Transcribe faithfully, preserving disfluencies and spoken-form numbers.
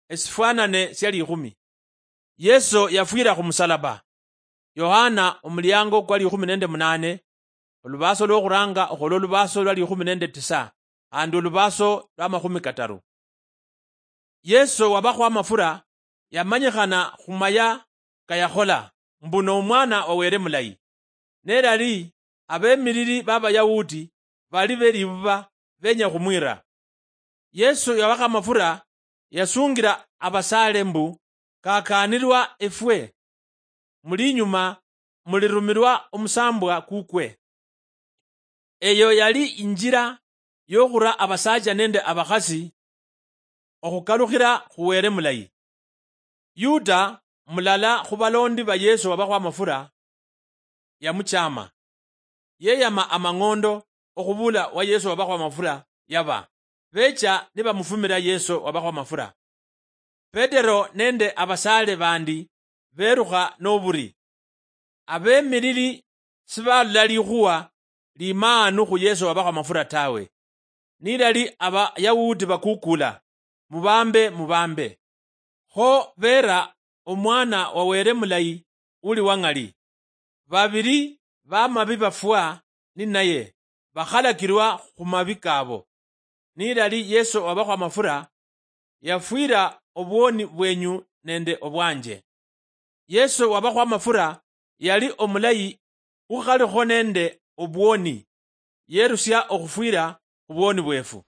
esifwanane sia likhumi. Yeso yafwira khumusalaba. Yohana omuliango kwa likhumi nende munane, olubaso lwokhuranga okhola olubaso lwa likhumi nende tisa, khandi olubaso lwa makhumi kataru. Yeso wabakhwa amafura yamanyikhana khumaya kayakhola mbu nomwana wa Were mulayi. Nelali abemilili babayahudi bali belibuba benya khumwira. Yesu yawakha amafura, yasungira abasaale mbu, "Kakaanirwa efwe, muli inyuma mulirumilwa omusambwa kukwe." Eyo yali injira yokhura abasaacha nende abakhasi okhukalukhira khu Were mulayi. Yuda, mulala khu balondi ba Yesu wabakho amafura, yamuchama. Yeyama amang'ondo okhubula wa Yesu wabakho amafura yaba. Becha nibamufumira Yesu wabakho amafura. Petero nende abasaale bandi berukha noburi. Abemilili sibalola likhuwa limaanu khu Yesu wabakho amafura tawe. Nilali Abayahudi bakukula, "Mubambe, mubambe." Kho beera omwana wa Were mulayi uli wang'ali. Babili bamabi bafwa ninaye, bakhalakirwa khumabi kabo. Nilali Yesu wabakho amafura, yafwira obwoni bwenyu nende obwanje. Yesu wabakho amafura yali omulayi ukhalikho nende obwoni, yerusia okhufwira khubwoni bwefu.